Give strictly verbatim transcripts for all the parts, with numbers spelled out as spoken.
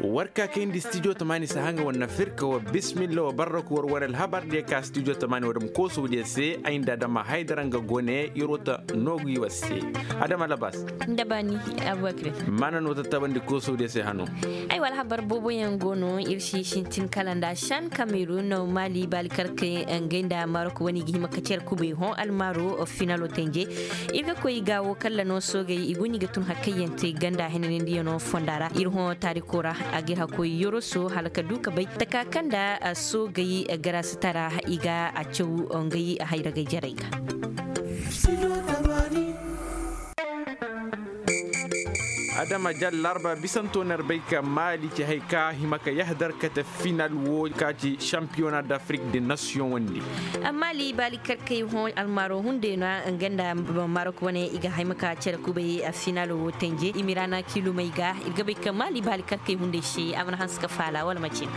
War ka kayndi stijo tamaani si haŋa war na firka wa bismilla wa barrak war wane alhabar diya ka stijo tamaani wa dam koosawdiya se ay nda adama haydara nga gone yer wata noogu i war se. Adama labas. Nda baani. Abubakar. Maana no tattabandi koosawdiya se hano. Ay wa alhabar booboyaŋ go no ir si sintin kala nda shan kamerun maali baalikarkey, ngey nda marok wane i ga hima ka cere kubay hõ almaaro finalo tenje. Ir ga koy gaawo kalla no soogey i guni ga tun hakkayyaŋ te ganda henanandiyano fonda ra ir hõ taariko ra. A ga ir hakkoy yoroso hala ka du ka bay taka kaŋ nda soogey garasitara i ga a caw ngey hayragay jarey ga. Adama jar larba bisanto na ir bay ka maali ci hay ka hima ka yahadar kate final wo ka ci shampiyona d'afrik de nasiyoŋ wandi. Amma ali baali karkey hõ almaaro hunday no nga nda marok wane i ga hay ma ka cere kubay a final wo tenje i ma i ra na kilumey ga ir ga bay ka maali baali karkey hunday se a mana hanse ka faala wala macin.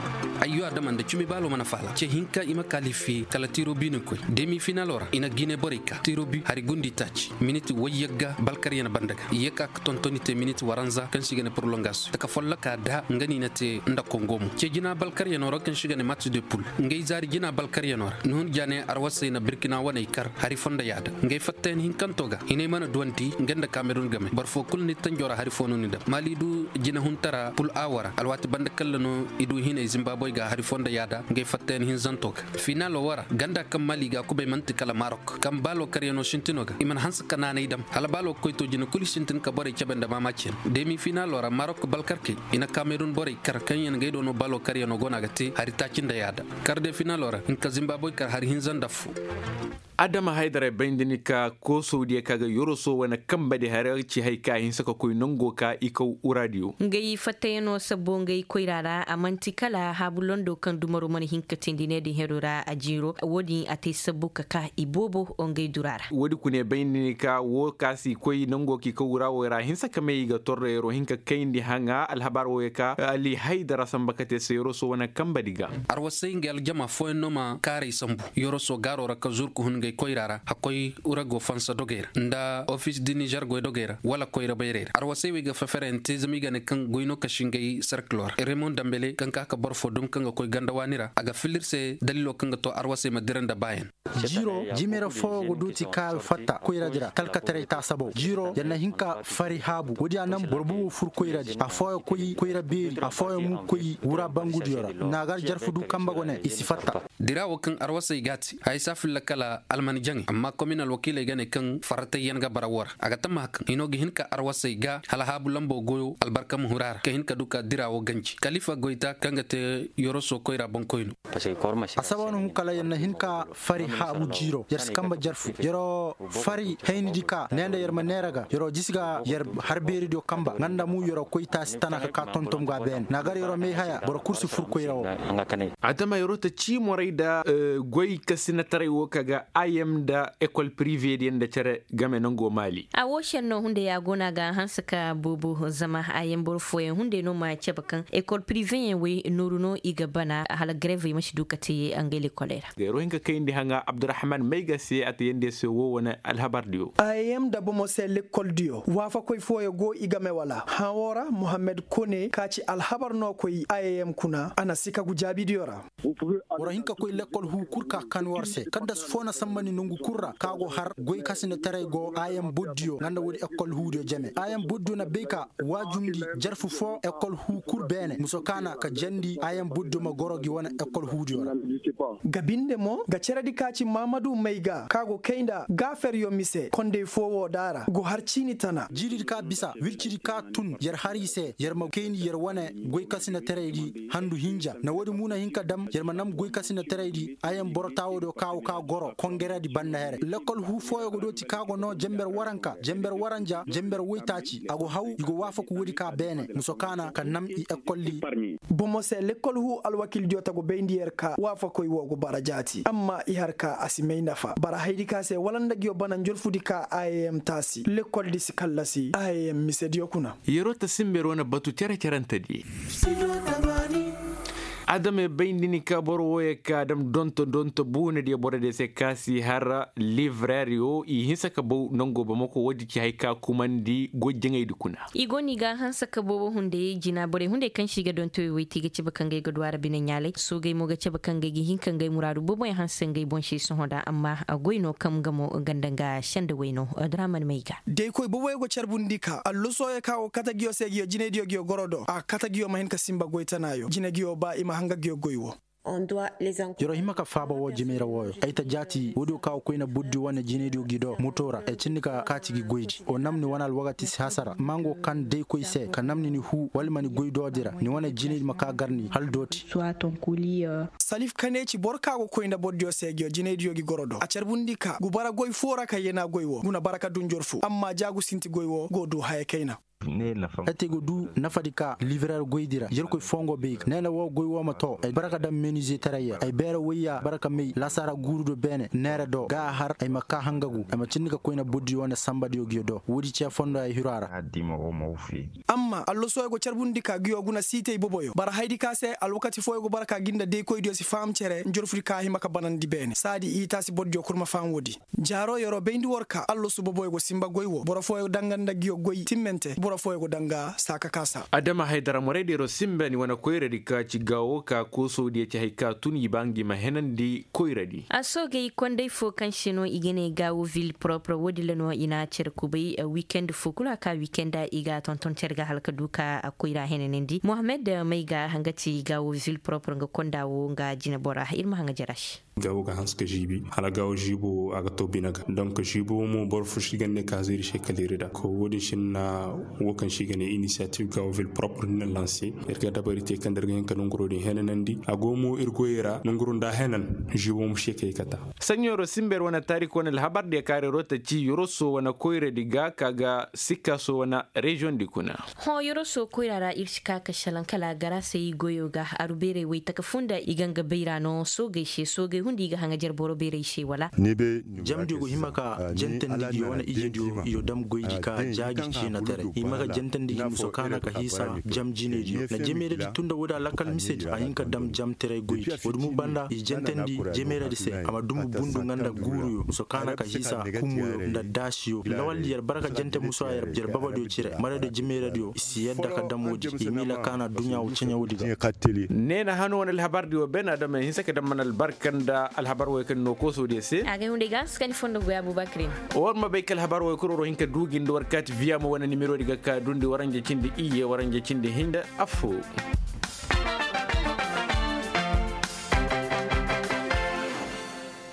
Ayyo adama nda cumi baalo mana faala ce hinka i ma kaalifi kala tiro bi ni koy demi finalo ra i na gine borey ka tiro bi hari gundi taaci miniti wayyagga balkaryan banda ga i ye ka ka tontoni te miniti waranza kaŋ si ga ne prolongation taka folloka da nga ni na te nda kongo mo ce jina balkaryano ra kaŋ si ga ne match de poule. Ngey zaari jina balkaryano ra ni hun jaane arwasey na birkina waney kar hari fo nda yaada ngey fattayan hinkanto ga hinay mana duwandi nga nda kamerun game boro fo kulu ni tanjo ra hari fo no ni dam maali du jina huntara poule a wara alwaati banda kalla no i du hinay zimbaboy ga hari fo nda yaada ngey fattayan hinzanto ga. Finalo wara ganda kaŋ maali ga kubay manti kala marok kaŋ baalo karyano sintino ga i mana hanse ka naanay dam hala baalo ga koy to jina kulu sintin ka borey cabe nda maamaaci yaŋ demi finalo ra marok balkarkey i na kamerun borey kar kaŋ yaŋ gay do no baalo karyano go no a ga te hari taaci nda yaada. Kar de finalo ra hinka zimbaboy kar hari hinza nda fo. Adama haydaray bayndi ni ka koosawdiya ka ga yoroso wane kamba di hari ci hay ka hinse ka koy nango ka i kaw uraadiyo. Ngey fattayano sabbo ngey koyra ra a man'ti kala haabu londo kaŋ dumaro mana hin ka teendi ne din hero ra a jiiro wo-din a te sabbo ka ka i boobo ngey dura ra. Wo-din kune bayndi ni ka wo ka si koy nango ka i kaw uraawey ra hinse ka may i ga torro yero hin ka kayndi haŋa alhabar wo ye ka ali haydara samba ka te se yoroso wane kamba di ga. Arwasey ngey aljama fooyaŋ no ma kaaray sambu yoroso gaaro ra ka zuru ka hun ngey koyra ra hakkoy urago fansa dogey ra nda ofis di nizer goy dogey ra wala koyra bayrey ra arwasey wey ga fefereyaŋ te zama i ga ne kaŋ goy no kasi ngey serkilo ra remon dambele kaŋ ka ka boro fo dum kaŋ ga koy ganda waani ra a ga filla ir se dalilo kaŋ ga to arwasey ma dira nda baayaŋ. Jiiro jimera fooyaŋ go dooti ka fatta koyradi ra talkataray taasabaw jiiro yar na hin ka fari haabu woodiya naŋ boro bubo fur koyradi afooyaŋ koy koyra beeri afooyaŋ mo koy wura bangudiyo ra naagar jarfu du kamba go ne i si fatta. Dira wo kaŋ arwasey g'a te haya si a filla kala alman jaŋey amma komin alwakiiley ga ne kaŋ farratayyaŋ ga bara wo ra a ga tammaha kaŋ hino ga hin ka arwasey ga hala haabu lambo goyo albarka ma huru a ra ka hin ka du ka dira wo ganji kalifa goyta kaŋ ga te yoroso koyra boŋkoyno. Asaba no hun kala yer na hin ka fari haabu jiiro yer si kamba jarfu yer fari haynidi ka ne nda yer ma neera ga yer jisi ga yer har beeridiyo kamba nga nda mu yer koy taasi tana ka ka tontom ga beene na gar yer may haya boro kul si fur koyra wo. Adama yer ta ciimoray nda goy kasinataray wo ka ga im nda ekol prive diyaŋ nda cere game nango maali. A wo senno hunday a go no a ga hanse ka boobo zama a yaŋ boro fooyaŋ hunday no ma cabe kaŋ ekol priveyaŋ wey nooru no i ga bana hala garevey ma si du ka te ngey lekoley ra. Gayro hin ka kayndi haŋa abdurahman mayga se a te yandi se wo wane alhabardiyo. Im nda bomo se lekoldiyo waafakoy fooyaŋ go i game wala hã wo ra muhammed kone ka ci alhabar no koy im kuna a na si ka gu jaabidiyo ra. Boro hin ka koy lekkol huu kul ka kan war se kaddas fo na sambandi nongu kul ra ka go har goy kasinataray go im boddiyo nga nda woodi ekkol huudiyo jeme im boddiyo na bay ka waajumndi jarfu fo ekkol huu kul beene muso kaana ka jandi im boddiyo ma goro gi wane ekkol huudiyo ra. Ga binde mo ga ceredi ka ci maamadu may ga ka go kay nda gaaferyo mise kondey fo wo da ra go har ciini tana jiiridi ka bisa wircidi ka tun yer har i se yer ma kayndi yer wane goy kasinataray di handu hinja na woodi mo na hin ka dam yer ma nam goy kasinataray di. Ayaŋ boro taawo do kaawo ka goro kongeredi banda here lekkol huu fooyo go dooti ka go no jember waranka jember waranja jember woytaaci a go haw i go waafaku woodi ka beene muso kaana ka nam i ekkoldi. Bomo se lekkol huu alwakildiyo ta go bayndi yer ka waafakoy wo go bara jaati amma i har ka a si may nafa bara haydi ka se wala nda ngiyo bana njolfudi ka im taasi lekkoldi si kallasi im misediyo kuna. Yeroo ta simber wane batu cere-cerentedi. Adamey bay nda ni ka boro wooyo ka dam donto donto buunadiyo borodiyo se ka si har livreriyo i hinsa ka baw nango bamako woodi ci hay ka kumandi goy jaŋaydi kuna. I go no i ga hanse ka boobo hunday jina borey hunday kaŋ se i ga dontoyo woy te i ga cabe ka ngey ga du a ra bine ɲaalay soogey mo ga cabe ka ngey ga hin ka ngey muraadu booboyaŋ hanse ngey boŋ se sohõ da amma goy no kaŋ nga mo ganda nga senda wayno. Draman may ga. Daykoy booboyo go carbundi ka allosoyo ka go kate nguyo se nguyo jinaydiyo nguyo goro do a kate nguyo ma hin ka sinba goy tanaayo jine nguyo ba i ma hanga nguyo goy wo. Yeroo hima ka faaba woo jimay ra wooyo ay ta jaati woodiyo ka go koyna burdi wane jinaydiyo gi do moto ra ay cindi ka kaati gi goydi woo nam ni wane alwakati si hasara mango kaŋ day koy se ka nam ni ni huu wala ma ni goy doodi ra ni wane jinaydi ma ka gar ni hala dooti. Salif kane ci boro ka go koyna bordiyo se gi jinaydiyo gi goro do a carbundi ka gu bara goy foo ra ka yena goy woo gu na bara ka dun jorfu amma ja gu sinti goy woo go du haya kayna. Ete go du nafadi ka liverer goydi ra yerkoy fongo bay ga neena woo goy woo ma too ay bara ka daŋ menuzeetaray ya ay beera woy ya bara ka may lasaara guuru do beene neera do ga a har ay ma kaa hangagu ay ma cindi ka koyna burdi wane sanbadiyo gi do woodi cee fondo ay hiru a ra. Amma allosoyo go carbundi ka ngiyo guna siitey boboyo bara haydi ka se alwakati fooyo go bara ka gi nda daykoydiyo si faham cere njorfudi ka hima ka banandi beene saadi i taasi bordiyo kul ma faham woodi. Jaaro yeroo bayndi war ka allosu boboyo go sinba goy wo boro fooyo danga nda ngiyo goy timmante boro fooyo go danga saaka kaasa. Adama haydara moraydi yeroo sinba ni wane koyradi ka ci gaawo ka koosowdiyo ci hay ka tun i ba ngi ma henandi koyradi. A soogey konday fo kaŋ se no i ga ne gaawo vil propre woodin ra no i na a cere kubay wikend fo kulu a ka wikenda i ga a tonton cere ga hala ka du ka koyra henanandi mohammed may ga nga ti gaawo vil propre nga konda wo nga jinebora ir ma haŋa jara se. Gaawo ga hanse ka žiibi hala gaawo žiibo wo a ga too bine ga donk žiibo wo mo boro fo si ga ne ka zeeri se kala ir da ko wo- din sinna wo kaŋ si ga ne inisiyatif gaawo vil propre ni na lanse. Ir ga dabari te kaŋ da ir ga hin ka nanguroo din henanandi a go mo ir goyey ra nanguroo nda a henan. Žiibo mo se kay kata. Saɲɲo yeroo sinba ir wane taariko wane alhabar diyo kaŋ ir yeroo ta ci yoroso wane koyradi ga ka ga sikkaso wane reziyoŋ di kuna. Hõ yoroso koyra ra ir si ka ka šelaŋ kala a gar a se i goyo ga aru beerey waytaka funda i ga nga bayra no soogey se soogey hunday i ga haŋajer boro beerey se wala? Jamdiyo go hima ka jantandi gi wane ijediyo iyo dam goydi ka jaaji ciina tere i ma ga jantandi gi muso kaana ka hiisa jam jinediyo na jemeeradi tun nda woodi a lakal misedi a hin ka dam jam tere goydi woodi mo banda i jantandi jemeeradi se a ma dumbu bundu nga nda guuruyo muso kaana ka hiisa kumuyo nda daasiyo lawaldi yer bara ka jante muso a yer babadiyo cire maraydiyo jemeeradiyo i si yadda ka dam woodi i miila kaana duɲɲa wo ceɲa woodi ga. Ne na hano wane alhabardi wo ben adama hinse ka dam mana albarka nda alhabar wo kaŋ no koosodiyo se. Agay hunday ga hanse kaŋ ni fondo goy abubakar yin. War ma bay kala habar wo kuro ro hinka duugi nda war kaati viyama wane nimerodi ga ka dundi waranja cindi iyye waranja cindi hinda. Affo.